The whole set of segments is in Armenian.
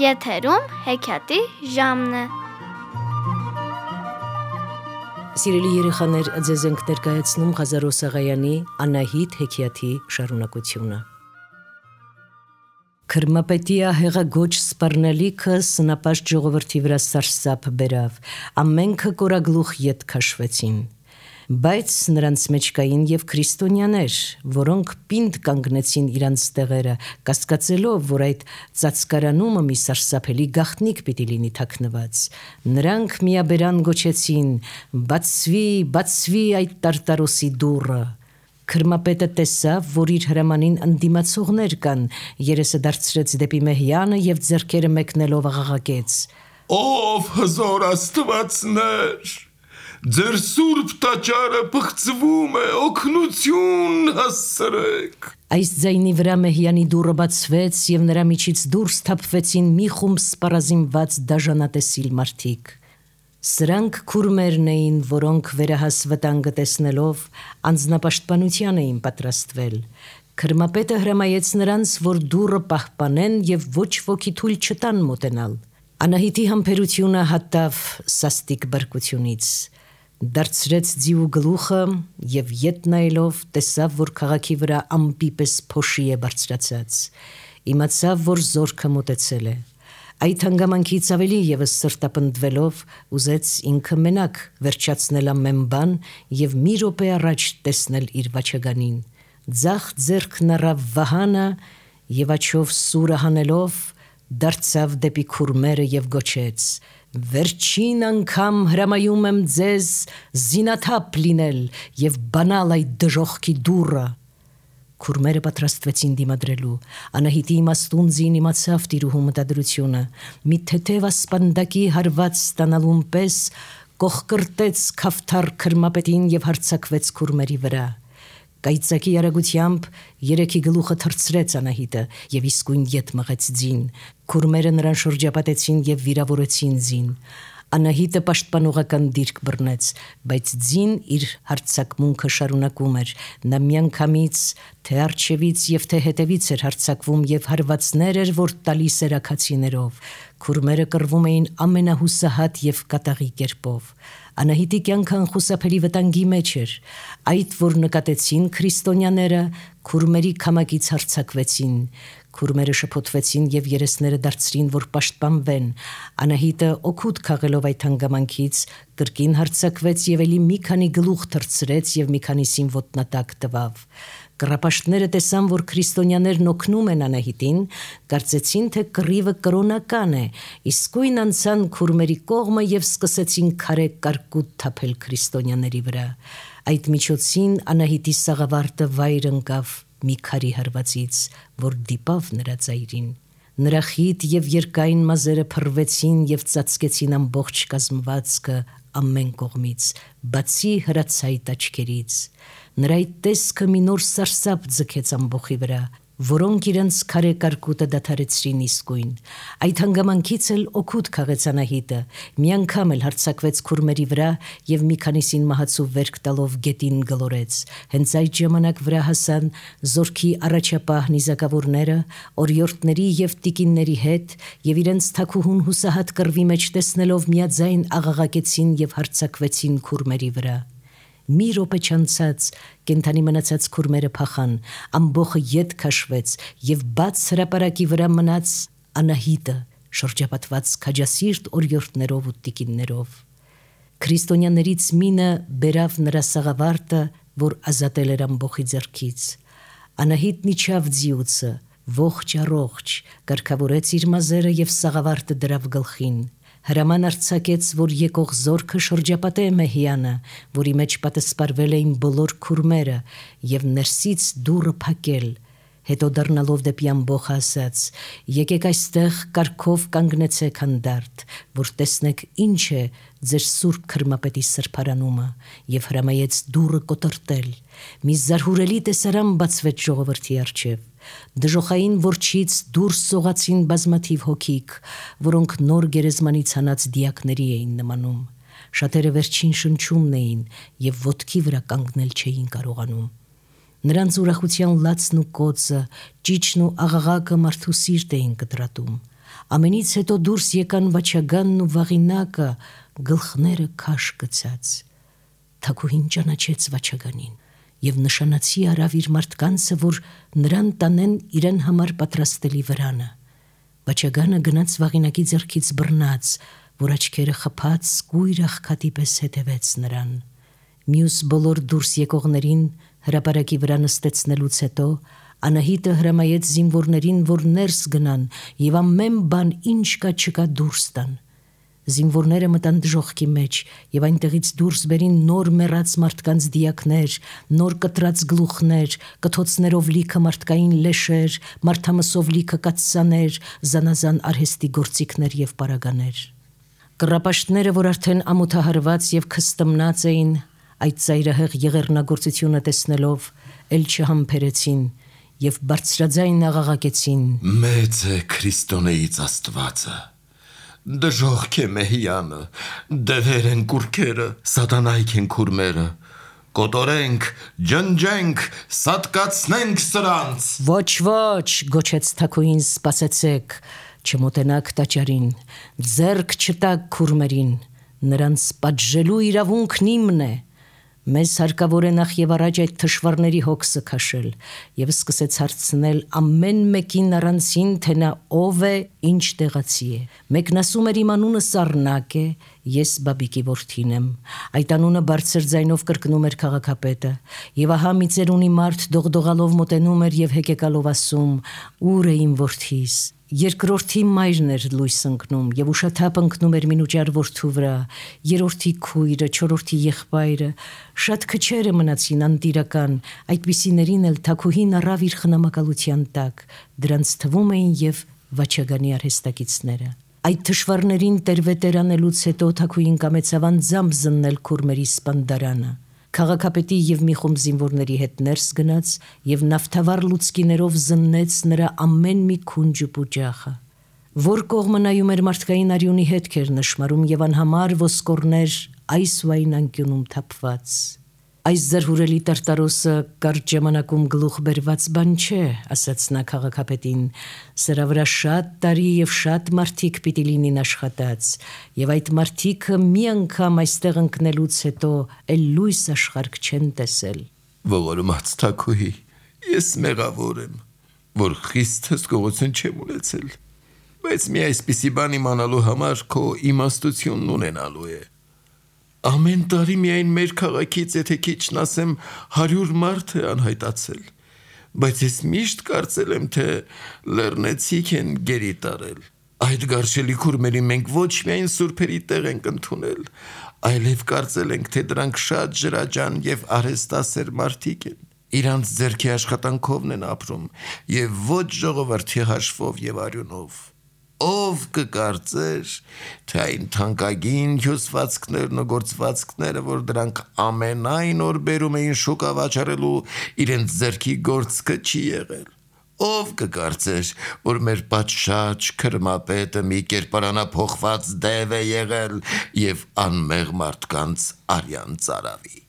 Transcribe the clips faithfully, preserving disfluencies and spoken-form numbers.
Եթերում հեքիաթի ժամն է։ Սիրելի երեխաներ, ձեզ ենք ներկայացնում Ղազարո Սաղայանի Անահիտ հեքիաթի շարունակությունը։ Քրմապետիա հեղագոչ սպառնալիքը սնապաշտ ժողովրդի վրա սարսափ բերավ, ամենքը կորագլուխ ետ քաշվեցին։ Բայց նրանց մեջ կային և քրիստոնյաներ, որոնք պինդ կանգնեցին իրանց տեղերը, կասկածելով, որ այդ ծածկարանումը մի սարսափելի գաղտնիք պիտի լինի թաքնված։ Նրանք միաբերան գոչեցին. «Բացվի, բացվի այդ տարտարոսի դուռը»։ Քրմապետը տեսավ, որ իր հրամանին ընդդիմացողներ կան, երեսը դարձրեց դեպի Մեհյանը և ձեռքերը մեկնելով աղաղակեց. «Ով հզոր աստվածներ, ձեր սուրբ տաճարը պղծվում է, օգնություն հասցրեք»։ Այս ձայնի վրա Մեհյանի դուռը բացվեց և նրա միջից դուրս թափվեցին մի խումբ սպառազինված դաժանատեսիլ մարդիկ։ Սրանք քուրմերն էին, որոնք վերահաս վտանգը տեսնելով անձնապաշտպանության էին պատրաստվել։ Քրմապետը հրամայեց նրանց, որ դուռը պահպանեն և ոչ ոքի թույլ չտան մոտենալ։ Անահիտի համբերությունը հատավ սաստիկ բարկությունից։ Դարձրեց ձիու գլուխը և ետ նայելով տեսավ, որ քաղաքի վրա ամպի պես փոշի է բարձրացած։ Իմացավ, որ զորքը մոտեցել է։ Այդ հանգամանքից ավելի ևս սրտապնդվելով ուզեց ինքը մենակ վերջացնել ամեն բան և մի րոպե առաջ տեսնել իր վաչագանին։ Ձախ ձեռքն առավ վահանը և աջով սուրը հանելով դարձավ դեպի քուրմերը և գոչեց. «Վերջին անգամ հրամայում եմ ձեզ զինաթափ լինել և բանալ այդ դժոխքի դուռը»։ Քուրմերը պատրաստվեցին դիմադրելու։ Անահիտի իմաստուն ձին իմացավ տիրուհու մտադրությունը։ Մի թեթև ասպանդակի հարված ստանալուն պես կոխկրտեց քավթար քրմապետին և հարձակվեց քուրմերի վրա։ Կայծակի արագությամբ երեքի գլուխը թռցրեց Անահիտը և իսկույն ետ մղեց ձին։ Քուրմերը նրան շրջապատեցին և վիրավորեցին ձին։ Անահիտը պաշտպանողական դիրք բռնեց, բայց ձին իր հարձակմունքը շարունակում էր։ Նա միանգամից թե առջևից և թե հետևից էր հարձակվում և հարվածներ էր, որ տալիս էր աքացիներով։ Քուրմերը կռվում էին ամենահուսահատ և կատաղի կերպով։ Անահիտի կյանքը անխուսափելի վտանգի մեջ էր։ Այդ, որ նկատեցին քրիստոնյաները, քուրմերի քամակից հարձակվեցին։ Քուրմերը շփոթվեցին և երեսները դարձրին, որ պաշտպանվեն։ Անահիտը օգուտ քաղելով այդ հանգամանքից կրկին հարձակվեց և էլի մի քանի գլուխ թռցրեց և մի քանիսին ոտնատակ տվավ։ Կռապաշտները տեսան, որ քրիստոնյաներն օգնում են Անահիտին, կարծեցին, թե կռիվը կրոնական է, իսկույն անցան քուրմերի կողմը և սկսեցին քարե կարկուտ թափել քրիստոնյաների վրա։ Այդ միջոցին Անահիտի սաղավարտը վայր ընկավ մի քարի հարվածից, որ դիպավ նրա ծայրին։ Նրա խիտ և երկայն մազերը փռվեցին և ծածկեցին ամբողջ կազմվածքը ամեն կողմից, բացի հրացայտ աչքերից։ Նրա այդ տեսքը մի նոր սարսափ ձգեց ամբոխի վրա, որոնք իրենց քարե կարկուտը դադարեցրին իսկույն։ Այդ հանգամանքից էլ օգուտ քաղեց Անահիտը, մի անգամ էլ հարձակվեց քուրմերի վրա և մի քանիսին մահացու վերք տալով գետին գլորեց։ Հենց այդ ժամանակ վրա հասան զորքի առաջապահ նիզակավորները օրիորդների և տիկինների հետ և իրենց թագուհուն հուսահատ կռվի մեջ տեսնելով միաձայն աղաղակեցին և հարձակվեցին քուրմերի վրա։ Մի րոպե չանցած կենդանի մնացած քուրմերը փախան, ամբոխը ետ քաշվեց և բաց հրապարակի վրա մնաց Անահիտը, շրջապատված քաջասիրտ օրիորդներով ու տիկիններով։ Քրիստոնյաներից մինը բերավ նրա սաղավարտը, որ ազատել էր ամբոխի ձեռքից։ Անահիտն իջավ ձիուցը, ողջ առողջ, կարգավորեց իր մազերը և սաղավարտը դրավ գլխին։ Հրաման արձակեց, որ եկող զորքը շրջապատե Մեհյանը, որի մեջ պատսպարվել էին բոլոր քուրմերը, և ներսից դուռը փակել։ Հետո դառնալով դեպի ամբոխը ասաց. «Եկեք այստեղ կարգով կանգնեցեք հանդարտ, որ տեսնեք ինչ է ձեր սուրբ քրմապետի սրբարանումը», և հրամայեց դուռը կոտրտել։ Մի զարհուրելի տեսարան բացվեց ժողովրդի առջև։ Դժոխային որջից դուրս սողացին բազմաթիվ հոգիք, որոնք նոր գերեզմանից հանած դիակների էին նմանում։ Շատերը վերջին շնչումն էին և ոտքի վրա կանգնել չէին կարողանում։ Նրանց ուրախության լացն ու կոծը, ճիչն ու աղաղակը մարդու սիրտ էին կտրատում։ Ամենից հետո դուրս եկան Վաչագանն ու Վաղինակը, գլխները քաշ գցած։ Թագուհին ճանաչեց Վաչագանին եւ նշանացի արավ իր մարդկանցը, որ նրան տանեն իրեն համար պատրաստելի վրանը։ Վաչագանը գնաց Վաղինակի ձեռքից բռնած, որ աչքերը խփած կույր աղքատի պես հետևեց նրան։ Մյուս բոլոր դուրս եկողներին հրապարակի վրա նստեցնելուց հետո Անահիտը հրամայեց զինվորներին, որ ներս գնան եւ ամեն բան ինչ կա չկա դուրս տան։ Զինվորները մտան դժոխքի մեջ եւ այնտեղից դուրս բերին նոր մեռած մարդկանց դիակներ, նոր կտրած գլուխներ, կթոցներով լիքը մարդկային լեշեր, մարդամսով լիքը կաթսաներ, զանազան արհեստի գործիքներ եւ պարագաներ։ Կռապաշտները, որ արդեն ամոթահարված եւ քստմնած էին, այդ ծայրահեղ եղեռնագործությունը տեսնելով, ել չհամբերեցին եւ բարձրաձայն աղաղակեցին. Մեծ է Քրիստոնեից Աստվածը, դժոխք է Մեհյանը, դևեր են կուրքերը, սատանայք են քուրմերը, կոտորենք, ջնջենք, սատկացնենք սրանց։ Ոչ, ոչ, գոչեց թագուհին, սպասեցեք, չմոտենաք տաճարին, ձեռք չտաք քուրմերին, նրանց պատժելու իրավունքն իմն է։ Մեզ հարկավոր է նախ եւ առաջ այդ թշվառների հոգսը քաշել եւ սկսեց հարցնել ամեն մեկին առանցին, թե նա ով է, ինչ տեղացի է։ Մեկն ասում էր իմ անունը Սառնակ է, ես Բաբիկի որդին եմ։ Այդ անունը բարձր ձայնով կրկնում էր քաղաքապետը, եւ ահա մի ծերունի մարդ դողդողալով մոտենում էր եւ հեկեկալով ասում. «Ուր է իմ որդիս»։ Երկրորդի մայրն էր լույս ընկնում եւ ուշաթափ ընկնում էր մինուճար որդու վրա, երրորդի քույրը, չորրորդի եղբայրը, շատ քչերը մնացին անտիրական, այդպիսիներին էլ թագուհին առավ իր խնամակալության տակ, դրանց թվում էին եւ Վաչագանի արհեստակիցները։ Այդ թշվառներին տերվետեր անելուց հետո թագուհին կամեցավ անձամբ զննել քուրմերի սպանդարանը։ Քաղաքապետի եւ մի խումբ զինվորների հետ ներս գնաց եւ նավթավառ լուցկիներով զննեց նրա ամեն մի քունջ ու պուջախը։ Որ կողմը նայում էր մարդկային արյունի հետքեր նշմարում եւ անհամար ոսկորներ այս ու այն անկյունում թափված։ Այս զրհուրելի տարտարոսը կարճ ժամանակում գլուխ բերված բան չէ, ասաց նա քաղաքապետին, սրա վրա շատ տարի եւ շատ մարդիկ պիտի լինին աշխատած, եւ այդ մարդիկը մի անգամ այստեղ ընկնելուց հետո էլ լույս աշխարհ չեն տեսել։ Ողորմած թագուհի, ես մեղավոր եմ, որ խիստ հսկողություն չեմ ունեցել, բայց մի այսպիսի բան իմանալու համար քո իմաստությունն ունենալու է։ Ամեն տարի միայն մեր քաղաքից, եթե քիչն ասեմ, հարյուր մարդ է անհայտացել, բայց ես միշտ կարծել եմ, թե լեռնեցիք են գերի տարել։ Այդ գարշելի քուրմերի մենք ոչ միայն սուրբերի տեղ ենք ընդունել, այլև կարծել ենք, թե դրանք շատ ջրաջան եւ արհեստասեր մարդիկ են, իրանց ձեռքի աշխատանքովն են ապրում եւ ոչ ժողովրդի հաշվով եւ արյունով։ Ով կկարծեր, թե այն թանկագին հյուսվածքներն ու գործվածքները, որ դրանք ամենայն օր բերում էին շուկա վաճառելու, իրենց ձեռքի գործքը չի եղել։ Ով կկարծեր, որ մեր պատշաճ քրմապետը մի կերպարանափոխված դև է եղել եւ անմեղ մարդկանց արյան ծարավի։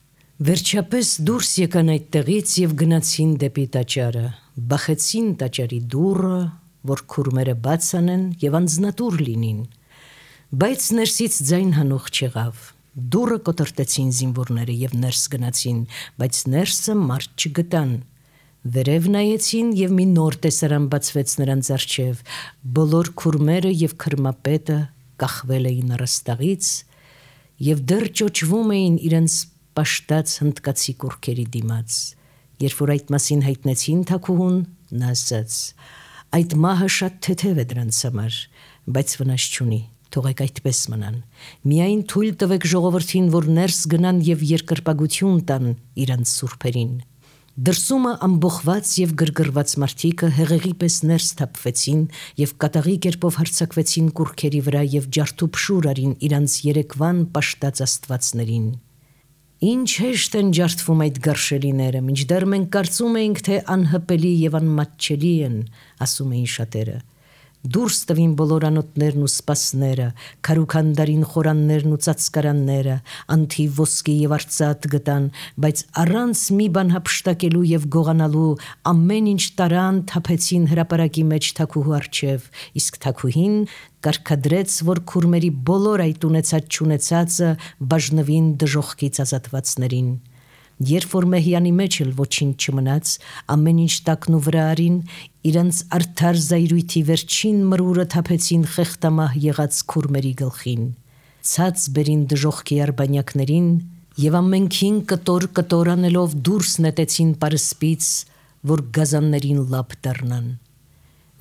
Վերջապես դուրս եկան այդտեղից եւ գնացին դեպի տաճարը, բախեցին տաճարի դուռը, որ քուրմերը բաց անեն եւ անձնատուր լինին, բայց ներսից ձայն հանող չեղավ։ Դուռը կոտրտեցին զինվորները եւ ներս գնացին, բայց ներսը մարդ չգտան։ Վերև նայեցին եւ մի նոր տեսարան բացվեց նրանց առջեւ, բոլոր քուրմերը եւ քրմապետը կախվել էին առաստաղից եւ դեռ ճոճվում էին իրենց պաշտած հնդկացի կուրքերի դիմաց։ Երբ որ այդ մասին հայտնեցին թագուհուն, նա ասաց. Այդ մահը շատ թեթև է դրանց համար, բայց վնաս չունի, թողեք այդպես մնան։ Միայն թույլ տվեք ժողովրդին, որ ներս գնան եւ երկրպագություն տան իրանց սուրբերին։ Դրսումը ամբողված եւ գրգռված մարդիկը հեղեղի պես ներս թափվեցին եւ կատաղի կերպով հարձակվեցին կուրքերի վրա եւ ջարդուփշուր արին իրանց երեկվան պաշտած աստվածներին։ Ինչ հեշտ են ջարդվում այդ գարշելիները, մինչդեռ մենք կարծում էինք, թե անհպելի եւ անմատչելի են, ասում էին շատերը։ Դուրս տվին բոլոր անոթներն ու սպասները, քարուքանդարին խորաններն ու ծածկարանները, անթի ոսկի եւ արծաթ գտան, բայց առանց մի բան հափշտակելու եւ գողանալու ամեն ինչ տարան թափեցին հրապարակի մեջ թակուհու առջև, իսկ թակուհին կարգադրեց, որ քուրմերի բոլոր այդ ունեցած չունեցածը բաժնվին դժոխքից ազատվածներին։ Երբ որ Մեհյանի մեջ էլ ոչինչ չմնաց, ամեն ինչ տակն ու վրա արին, իրանց արդար զայրույթի վերջին մրուրը թափեցին խեղտամահ եղած քուրմերի գլխին, ցած բերին դժոխքի արբանյակներին եւ ամենքին կտոր կտոր անելով դուրս նետեցին պարսպից, որ գազաններին լապ դառնան։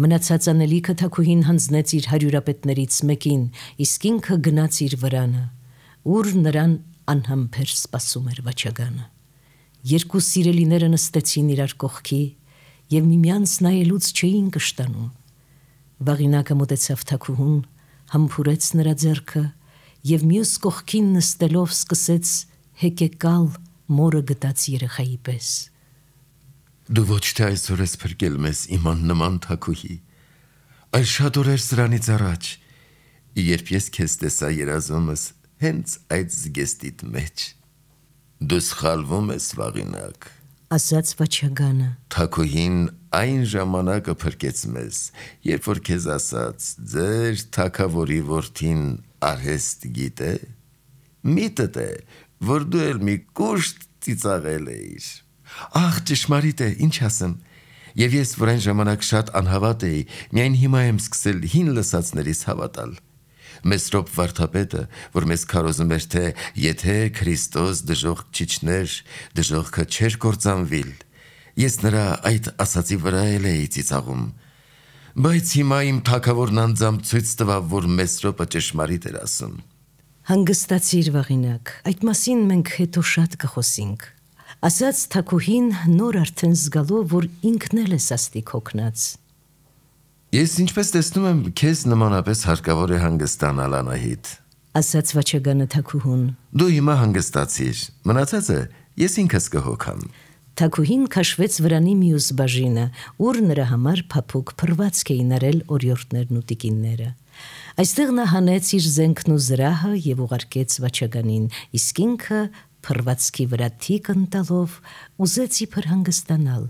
Մնացած անելիքը թակուհին հանձնեց իր հարյուրապետներից մեկին, իսկ ինքը գնաց իր վրանը, ուր նրան անհամբեր սպասում էր վաճագանը։ Երկու սիրելիները նստեցին իրար կողքի եւ միմյանց նայելուց չէին կշտանում։ Վաղինակը մոտեցավ թակուհուն, համբուրեց նրա ձեռքը եւ մյուս կողքին նստելով սկսեց հեկեկալ մորը գտած երեխայի պես։ Դու ոչ թե այսօր ես փրկել մեզ իման նման թակուհի, այլ շատ օրեր սրանից առաջ, երբ ես քեզ տեսա երազումս հենց այդ զգեստիդ մեջ։ Դու սխալվում ես, Վաղինակ, ասաց վաճագանը։ Թակուհին այն ժամանակը փրկեց մեզ, երբ որ քեզ ասաց, ձեր թակավորի որդին արհեստ գիտե, միտդ է, որ դու էլ մի կուշտ ծիծաղել էիր։ Ախ, ճշմարիտ է, ինչ ասեմ։ Եվ ես, որ այն ժամանակ շատ անհավատ էի, միայն հիմա եմ սկսել հին լսածներից հավատալ։ Մեսրոպ վարդապետը, որ մեզ քարոզում էր, թե եթե Քրիստոս դժոխք չիջներ, դժոխքը չէր կործանվիլ, ես նրա այդ ասացի վրա էլ էի ծիծաղում։ Բայց հիմա իմ թագավորն անձամբ ցույց տվավ, որ Մեսրոպը ճշմարիտ էր ասում։ Հանգստացիր, Վաղինակ, այդ մասին մենք հետո շատ կխոսենք, ասաց թակուհին նոր արդեն զգալով, որ ինքն էլ է սաստիկ հոգնած։ Ես ինչպես տեսնում եմ, քեզ նմանապես հարկավոր է հանգստանալ, Անահիտ, ասաց վաճագանը թակուհուն։ Դու հիմա հանգստացիր, մնացածը ես ինքս կհոգամ։ Թակուհին քաշվեց վրանի մյուս բաժինը, ուր նրա համար փափուկ փռվածք էին արել օրիորդներն ու տիկինները։ Այստեղ նա հանեց իր զենքն ու զրահը եւ ուղարկեց վաճագանին, իսկ ինքը փռվածքի վրա թիկ ընտալով ուզեց իբր հանգստանալ,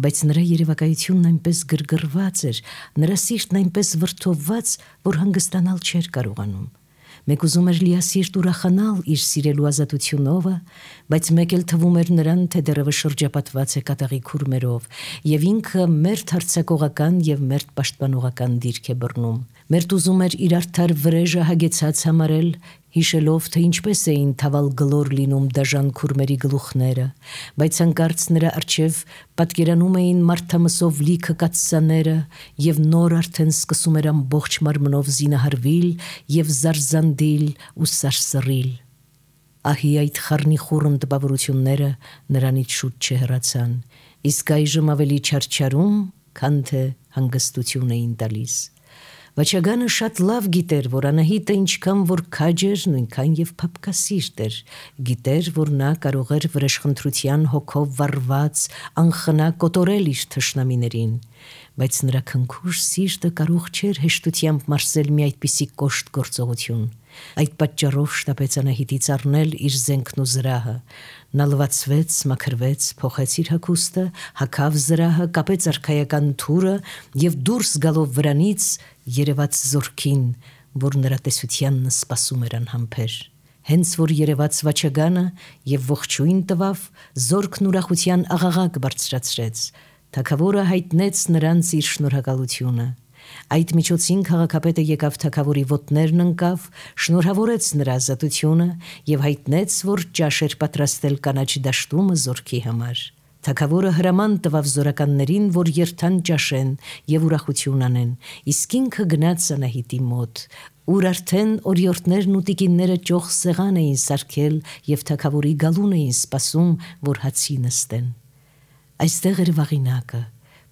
բայց նրա երևակայությունն այնպես գրգռված էր, նրա սիրտն այնպես վրդովված, որ հանգստանալ չէր կարողանում։ Մեկ ուզում էր լիասիրտ ուրախանալ իր սիրելու ազատությունովը, բայց մեկ էլ թվում էր նրան, թե դեռևս շրջապատված է կատաղի քուրմերով, եւ ինքը մերթ հարձակողական եւ մերթ պաշտպանողական դիրք է բռնում։ Մերթ ուզում էր իր արդար վրեժը հագեցած համարել, հիշելով, թե ինչպես էին թավալ գլոր լինում դաժան քուրմերի գլուխները, բայց հանկարծ նրա առջև պատկերանում էին մարդամսով լիքը կաթսաները եւ նոր արդեն սկսում էր ամբողջ մարմնով զինահարվել եւ զարզանդիլ ու սարսռիլ։ Ահի այդ խառնի խուռն տպավորությունները նրանից շուտ չհեռացան, իսկ այժմ ավելի չարչարում, քան թե հանգստություն էին տալիս։ Վաճագանը շատ լավ գիտեր, որ Անահիտը ինչքան որ քաջ էր, նույնքան եւ փափկասիրտ էր, գիտեր, որ նա կարող էր վրեժխնդրության հոգով վառված անխնա կոտորել իր թշնամիներին, բայց նրա քնքուշ սիրտը կարող չէր հեշտությամբ մարսել մի այդպիսի կոշտ գործողություն։ Այդ պատճառով շտապեց Անահիտից առնել իր զենքն ու զրահը։ Նա լվացվեց, մաքրվեց, փոխեց իր հագուստը, հագավ զրահը, կապեց արքայական թուրը եւ դուրս գալով վրանից երևաց զորքին, որ նրա տեսությանն սպասում էր անհամբեր։ Հենց որ երևաց վաճագանը եւ ողջույն տվավ, զորքն ուրախության աղաղակ բարձրացրեց։ Թագավորը հայտնեց նրանց իր շնորհակալությունը։ Այդ միջոցին քաղաքապետը եկավ թագավորի ոտներն ընկավ, շնորհավորեց նրա ազատությունը եւ հայտնեց, որ ճաշ էր պատրաստել կանաչ դաշտումը զորքի համար։ Թագավորը հրաման տվավ զորականներին, որ երթան ճաշեն եւ ուրախություն անեն, իսկ ինքը գնաց Անահիտի մոտ, ուր արդեն օրիորդներն ու տիկինները ճոխ սեղան էին սարքել եւ թագավորի գալուն էին սպասում, որ հացի նստեն։ Այստեղ էր Վաղինակը,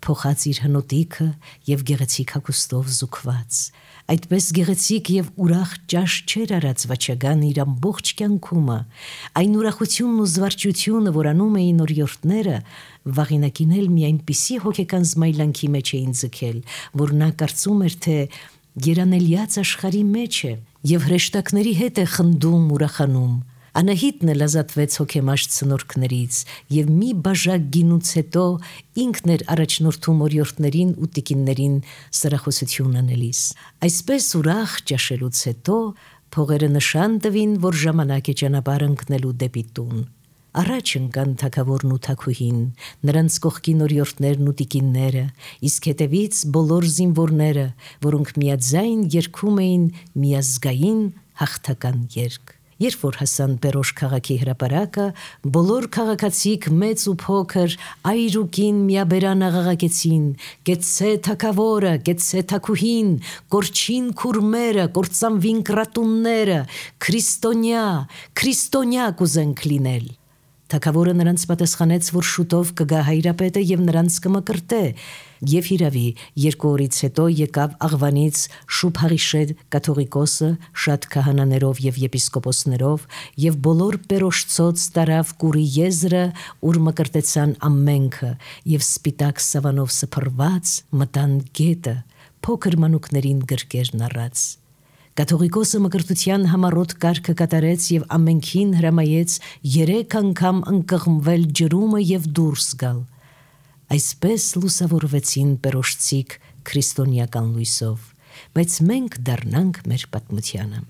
փոխած իր հնոտիքը եւ գեղեցիկ հագուստով զուգված։ Այդպես գեղեցիկ եւ ուրախ ճաշ չեր արած վաճական իր ամբողջ կյանքումը։ Այն ուրախությունն ու զվարճությունը, որ անում էին օրիորդները, վաղինակին էլ մի այնպիսի հոգեկան զմայլանքի մեջ էին ձգել, որ նա կարծում էր, թե երանելիած աշխարհի մեջ է եւ հրեշտակների հետ է խնդում, ուրախանում։ Անահիտն էլ ազատվեց հոգեմաշ ցնորքներից եւ մի բաժակ գինուց հետո ինքն էր առաջնորդում օրիորդներին ու տիկիններին սրախոսություն անելիս։ Այսպես ուրախ ճաշելուց հետո փողերը նշան տվին, որ ժամանակ է ճանապարհ ընկնելու դեպի տուն։ Առաջ ընկան թագավորն ու թագուհին, նրանց կողքին օրիորդներն ու տիկինները, իսկ հետևից բոլոր զինվորները, որոնք միաձայն երգում էին միազգային հաղթական երգ։ Երբ որ հասան Պերոշ քաղաքի հրապարակը, բոլոր քաղաքացիք մեծ ու փոքր այր ու կին միաբերան աղաղակեցին. «Գեցե թագավորը, գեցե թագուհին, կորչին քուրմերը, կործանվին կրատունները, քրիստոնյա, քրիստոնյա կուզենք լինել»։ Թագավորը նրանց պատասխանեց, որ շուտով կգա հայրապետը եւ նրանց կմկրտե, եւ հիրավի երկու օրից հետո եկավ Աղվանից Շուփհարիշե կաթողիկոսը շատ քահանաներով եւ եպիսկոպոսներով եւ բոլոր Պերոշցոց տարավ կուրի եզրը, ուր մկրտեցան ամենքը եւ սպիտակ սավանով սփռված մտան գետը, փոքր մանուկներին գրկերն առած։ Կաթողիկոսը մկրտության համառոտ կարգը կատարեց եւ ամենքին հրամայեց երեք անգամ ընկղմվել ջրումը եւ դուրս գալ։ Այսպես լուսավորվեցին Պերոշցիք քրիստոնեական լույսով, բայց մենք դառնանք մեր պատմությանը։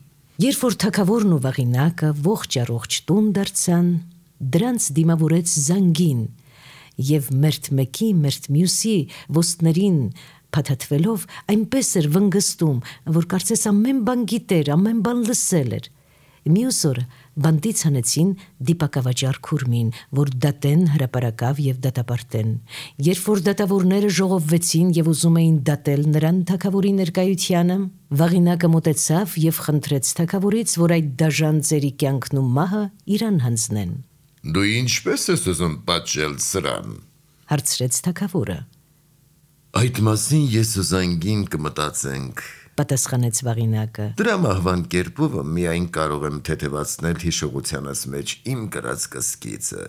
Երբ որ թագավորն ու վաղինակը ողջ առողջ տուն դարձան, դրանց դիմավորեց զանգին եւ մերթ մեկի, մերթ մյուսի ոսტներին փաթաթվելով այնպես էր վնգստում, որ կարծես ամեն բան գիտեր, ամեն բան լսել էր։ Մյուս օրը բանտից հանեցին դիպակավաճառ քուրմին, որ դատեն հրապարակավ եւ դատապարտեն։ Երբ որ դատավորները ժողովվեցին եւ ուզում էին դատել նրան թագավորի ներկայությանը, վաղինակը մոտեցավ եւ խնդրեց թագավորից, որ այդ դաժան ծերի կյանքն ու մահը իրան հանձնեն։ Դու ինչպես ես ուզում պատժել սրան, հարցրեց թագավորը։ Այդ մասին ես ու զանգին կմտածենք, պատասխանեց վաղինակը։ Դրա մահվան կերպովը միայն կարող եմ թեթևացնել հիշողությանս մեջ իմ կրած կսկիցը։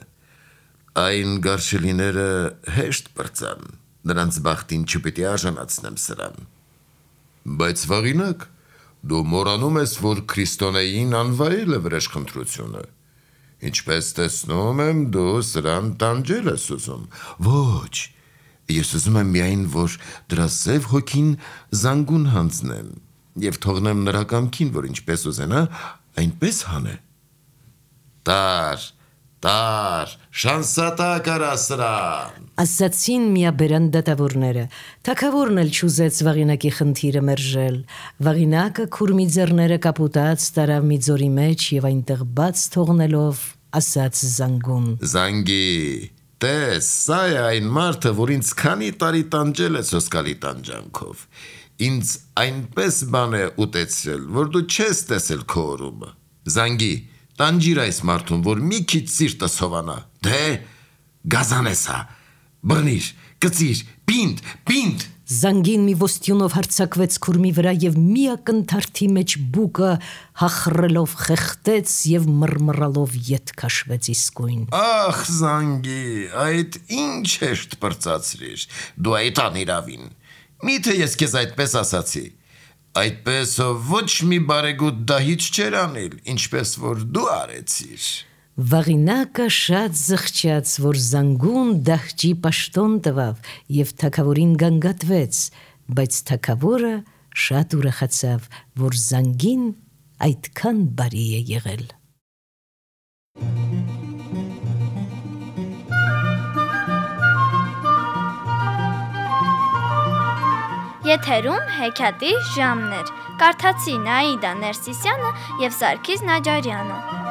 Այն գարշելիները հեշտ պրծան, նրանց բախտին չպիտի արժանացնեմ սրան։ Բայց վաղինակ, դու մոռանում ես, որ քրիստոնեին անվայել է վրեժխնդրությունը։ Ինչպես տեսնում եմ, դու սրան տանջել ես ուզում։ Ոչ, ես ուզում եմ միայն, որ դրա սև հոգին զանգուն հանձնեմ եւ թողնեմ նրա կամքին, որ ինչպես ուզենա, այնպես հանե։ Տար, տար, շանսատա կարա սրան, ասացին միաբերան դատավորները։ Թագավորն էլ չուզեց վաղինակի խնդիրը մերժել։ Վաղինակը քուրմի ձեռները կապուտած տարավ մի ձորի մեջ եւ այնտեղ բաց թողնելով ասաց զանգուն. Զանգի, տես, սա է այն մարդը, որ ինձ քանի տարի տանջել է սոսկալի տանջանքով։ Ինձ այնպես բան է ուտեցրել, որ դու չես տեսել քո օրումը։ Զանգի, տանջիր այս մարդուն, որ մի քիչ սիրտը սովանա։ Դե, գազան է սա, բռնիր, կծիր, պինդ, պինդ։ Զանգին մի ոստյունով հարձակվեց քուրմի վրա եւ մի ակնթարթի մեջ բուկը հախռելով խեղտեց եւ մռմռալով ետ քաշվեց իսկույն։ Ախ, զանգի, այդ ինչ հեշտ պրծացրիր, դու այդ անիրավին։ Միթե ես քեզ այդպես ասացի։ Այդպես ոչ մի բարեգութ դահիճ չեր անել, ինչպես որ դու արեցիր։ Վաղինակը շատ զղջաց, որ զանգուն դահճի պաշտոն տվավ եւ թագավորին գանգատվեց, բայց թագավորը շատ ուրախացավ, որ զանգին այդքան բարի է եղել։ Եթերում հեքիաթի ժամն էր։ Կարդացի Նաիդա Ներսիսյանը եւ Սարգիս Նաջարյանը։